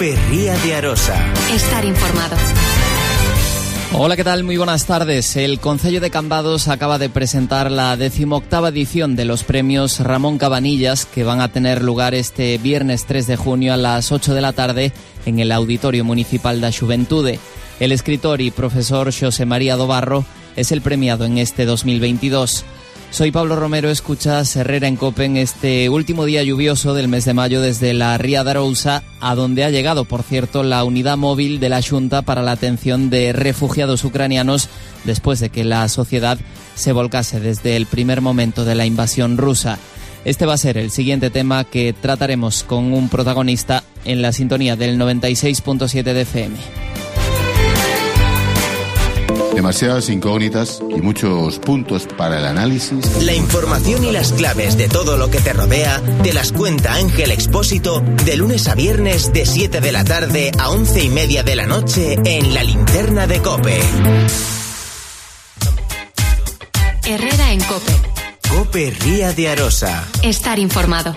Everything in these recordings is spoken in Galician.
COPE Ría de Arosa. Estar informado. Hola, ¿qué tal? Muy buenas tardes. El Concello de Cambados acaba de presentar la 18ª edición de los premios Ramón Cabanillas, que van a tener lugar este viernes 3 de junio a las 8 de la tarde en el Auditorio Municipal da Xuventude. El escritor y profesor Xosé María do Barro es el premiado en este 2022. Soy Pablo Romero, escuchas Herrera en COPE en este último día lluvioso del mes de mayo desde la Ría de Arousa, a donde ha llegado, por cierto, la unidad móvil de la Xunta para la atención de refugiados ucranianos después de que la sociedad se volcase desde el primer momento de la invasión rusa. Este va a ser el siguiente tema que trataremos con un protagonista en la sintonía del 96.7 de FM. Demasiadas incógnitas y muchos puntos para el análisis. La información y las claves de todo lo que te rodea te las cuenta Ángel Expósito de lunes a viernes de 7 de la tarde a 11:30 de la noche en La Linterna de COPE. Herrera en COPE. COPE Ría de Arosa. Estar informado.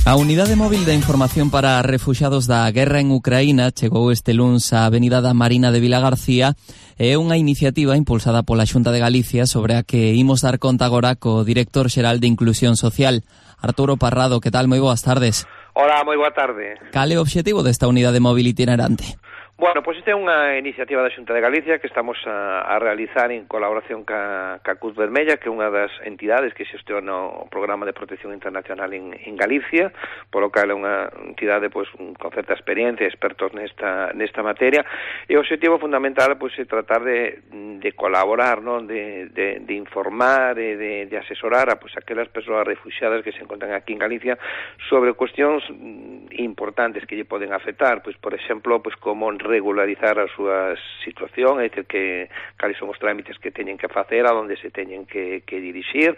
A Unidade Móvil de Información para Refuxiados da Guerra en Ucraína chegou este luns á Avenida da Marina de Vilagarcía. É unha iniciativa impulsada pola Xunta de Galicia sobre a que imos dar conta agora co director xeral de Inclusión Social, Arturo Parrado. Que tal? Moi boas tardes. Hola, moi boa tarde. Cal é o obxectivo desta unidade móvil itinerante? Bueno, pois esta é unha iniciativa da Xunta de Galicia que estamos a realizar en colaboración ca Cruz Vermella, que é unha das entidades que xestiona o Programa de Protección Internacional en Galicia, polo cal é unha entidade pois con certa experiencia, expertos nesta materia, e o objetivo fundamental pois é tratar de colaborar, non, de informar e de asesorar a pois aquelas persoas refuxiadas que se encontran aquí en Galicia sobre cuestións importantes que lle poden afectar, pois por exemplo, pois como regularizar a súa situación, é dicir, que cales son os trámites que teñen que facer, a onde se teñen que dirixir,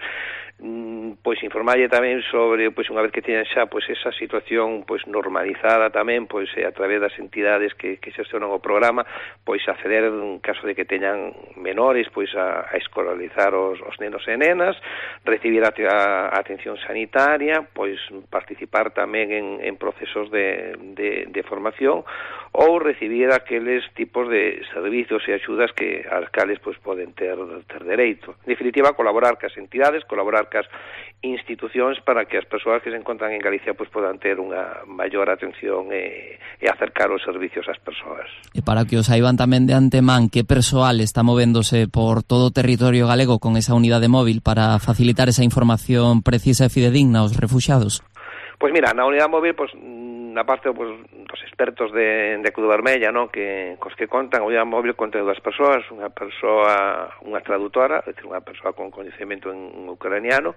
pois informarlle tamén sobre, pois unha vez que teñan xa pois esa situación pois normalizada tamén, pois a través das entidades que xestionan o programa, pois acceder en caso de que teñan menores, pois a escolarizar os nenos e nenas, recibir a atención sanitaria, pois participar tamén en procesos de formación ou recibir aqueles tipos de servicios e axudas que as cales pois poden ter dereito. En definitiva, colaborar cas entidades, colaborar cas institucións para que as persoas que se encontran en Galicia pois podan ter unha maior atención e acercar os servicios ás persoas. E para que os saiban tamén de antemán, que persoal está movéndose por todo o territorio galego con esa unidade móvil para facilitar esa información precisa e fidedigna aos refuxiados? Pois mira, na unidade móvil, pois na parte pois, dos expertos de Cruz Vermella, non, que cos que contan, a unidade móvil conta de dúas persoas, unha traductora, é dicir, unha persoa con coñecemento en ucraniano,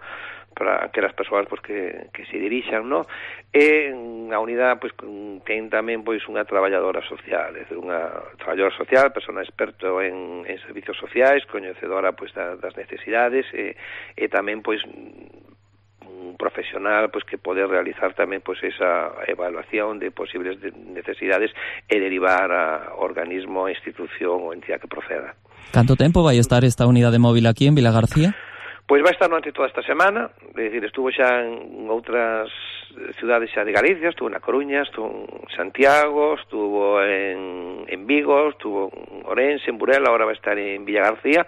para aquelas persoas pois que se dirixan, non? E a unidade pois ten tamén pois unha traballadora social, é dicir, unha traballadora social, persona experto en servicios sociais, coñecedora pois das necesidades e tamén pois un profesional pois que pode realizar tamén pois esa evaluación de posibles necesidades e derivar a organismo, institución ou entidade que proceda. Canto tempo vai estar esta unidade móvil aquí en Vilagarcía? Pois vai estar durante toda esta semana, é dicir, estuvo xa en outras cidades xa de Galicia, estuvo na Coruña, estuvo en Santiago, estuvo en Vigo, estuvo en Ourense, en Burela, agora vai estar en Villagarcía.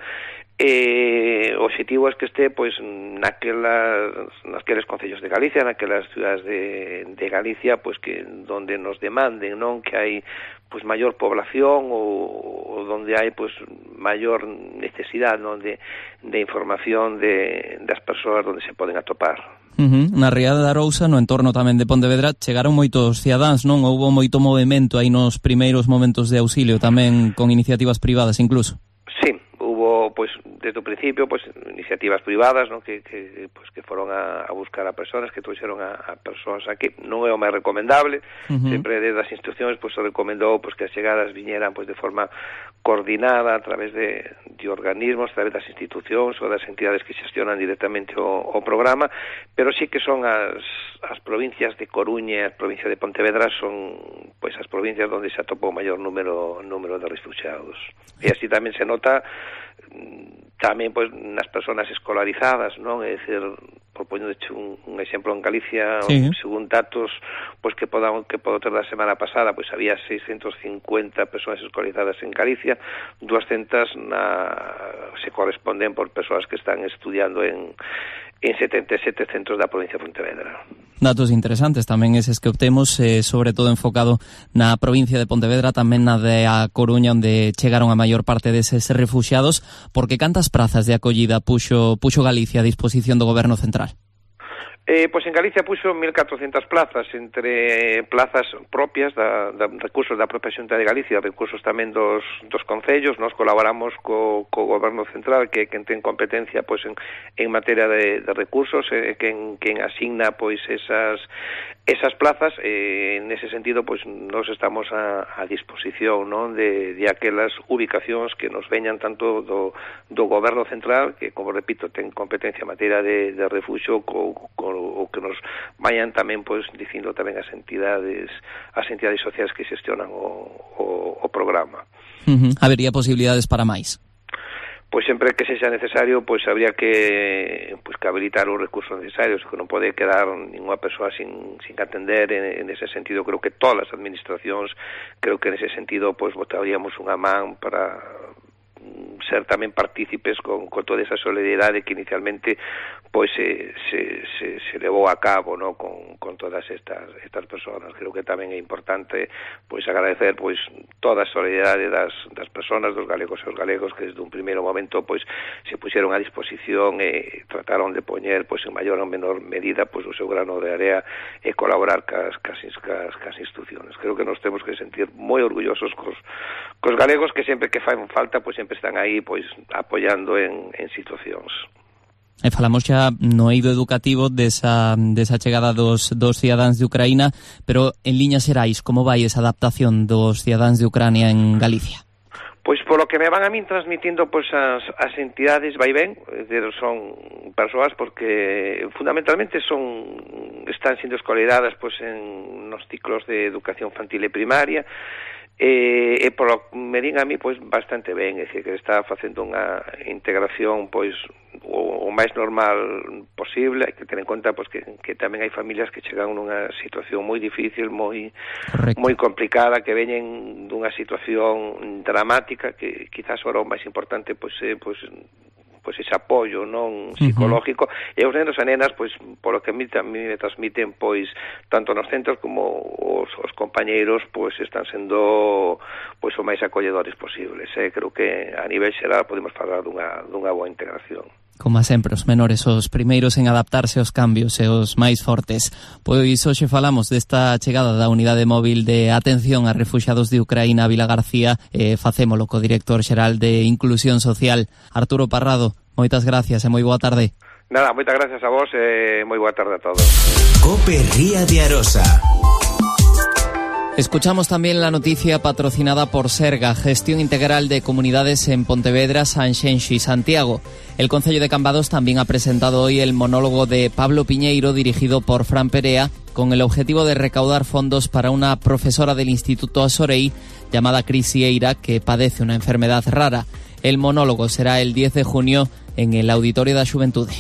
O objetivo é que este pois naqueles concellos de Galicia, naquelas cidades de Galicia, pois que donde nos demanden, non, que hai pois maior población ou donde hai pois maior necesidade, non, de información das persoas onde se poden atopar. Na Ría de Arousa, no entorno tamén de Pontevedra, chegaron moitos cidadáns, non? Houbo moito movimento aí nos primeiros momentos de auxilio, tamén con iniciativas privadas incluso. Sí, hubo, pois, desde o principio, pois, iniciativas privadas, non, que foron a buscar a persoas, que trouxeron a persoas aquí. Non é o máis recomendable, sempre desde as institucións, pois, se recomendou, pois, que as chegadas viñeran, pois, de forma coordinada a través de organismos, a través das institucións ou das entidades que xestionan directamente o programa, pero sí que son as provincias de Coruña e as provincias de Pontevedra son, pois, as provincias onde se atopou o maior número de refugiados. E así tamén se nota tamén pois nas persoas escolarizadas, non? É dicir, por poñerche un exemplo, en Galicia, sí, según datos pois que podo ter da semana pasada, pois había 650 persoas escolarizadas en Galicia, 200 se corresponden por persoas que están estudiando en 77 centros da provincia de Pontevedra. Datos interesantes tamén eses que obtemos, sobre todo enfocado na provincia de Pontevedra, tamén na de A Coruña, onde chegaron a maior parte deses refuxiados, porque cantas prazas de acollida puxo Galicia a disposición do Goberno Central? Pois en Galicia puxo 1.400 plazas, entre plazas propias recursos da propia Xunta de Galicia, recursos tamén dos concellos. Nos colaboramos co Goberno Central, que quen ten competencia pois en materia de recursos, quen asigna pois esas plazas. Nese sentido, pois nos estamos a disposición, non, de aquelas ubicacións que nos veñan tanto do Goberno Central, que, como repito, ten competencia en materia de refuxio, o que nos vayan tamén pois dicindo tamén as entidades sociais que xestionan o programa. Habería posibilidades para máis? Pois sempre que sexa necesario, pois habría que habilitar os recursos necesarios, que non pode quedar ninguna persoa sin atender. En ese sentido, creo que todas as administracións, nese sentido, pois botaríamos unha man para ser tamén partícipes con toda esa solidaridade que inicialmente pois se levou a cabo, no, con todas estas persoas. Creo que tamén é importante pois agradecer pois toda a solidaridade das persoas, dos galegos e os galegos, que desde un primeiro momento pois se puxeron a disposición e trataron de poñer pois en maior ou menor medida pois o seu grano de area e colaborar cas institucións. Creo que nos temos que sentir moi orgullosos cos galegos, que sempre que fan falta pois sempre están aí pois apoiando en situacións. E falamos xa no eido educativo desa chegada dos cidadáns de Ucraína, pero en liñas xerais, como vai esa adaptación dos cidadáns de Ucrania en Galicia? Pois polo que me van a min transmitindo pois as entidades vai ben, son persoas porque fundamentalmente están sendo escolarizadas pois en nos ciclos de educación infantil e primaria. E polo me din a mí pois bastante ben, é dicir, que está facendo unha integración pois o máis normal posible. Hai que ter en conta pois que tamén hai familias que chegan nunha situación moi difícil, moi complicada, que veñen dunha situación dramática, que quizás ora o máis importante pois ese apoio non psicológico, e os nenos e nenas pois polo que a mí me transmiten pois tanto nos centros como os compañeiros pois están sendo pois o máis acolledores posibles. Creo que a nivel xeral podemos falar dunha boa integración. Como sempre, os menores os primeiros en adaptarse aos cambios e os máis fortes. Pois hoxe falamos desta chegada da unidade móvil de atención a refuxiados de Ucraína a Vila García, facémolo co director xeral de Inclusión Social, Arturo Parrado. Moitas gracias e moi boa tarde. Nada, moitas gracias a vos e moi boa tarde a todos. COPE Ría de Arosa. Escuchamos también la noticia patrocinada por Serga, Gestión Integral de Comunidades en Pontevedra, Sanxenxo y Santiago. El Concello de Cambados también ha presentado hoy el monólogo de Pablo Piñeiro, dirigido por Fran Perea, con el objetivo de recaudar fondos para una profesora del Instituto Asorei llamada Cris Sieira, que padece una enfermedad rara. El monólogo será el 10 de junio en el Auditorio da Xuventude.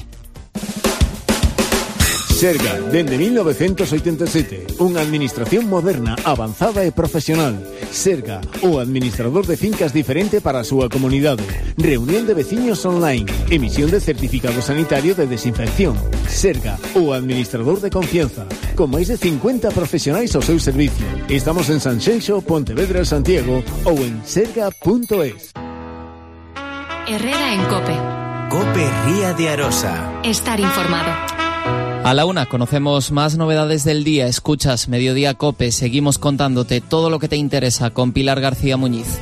Serga, dende 1987, unha administración moderna, avanzada e profesional. Serga, o administrador de fincas diferente para a súa comunidade. Reunión de veciños online, emisión de certificado sanitario de desinfección. Serga, o administrador de confianza, con máis de 50 profesionais ao seu servicio. Estamos en Sanxenxo, Pontevedra e Santiago ou en serga.es. Herrera en COPE. COPE Ría de Arosa. Estar informado. A la 1 conocemos más novedades del día. Escuchas Mediodía COPE. Seguimos contándote todo lo que te interesa con Pilar García Muñiz.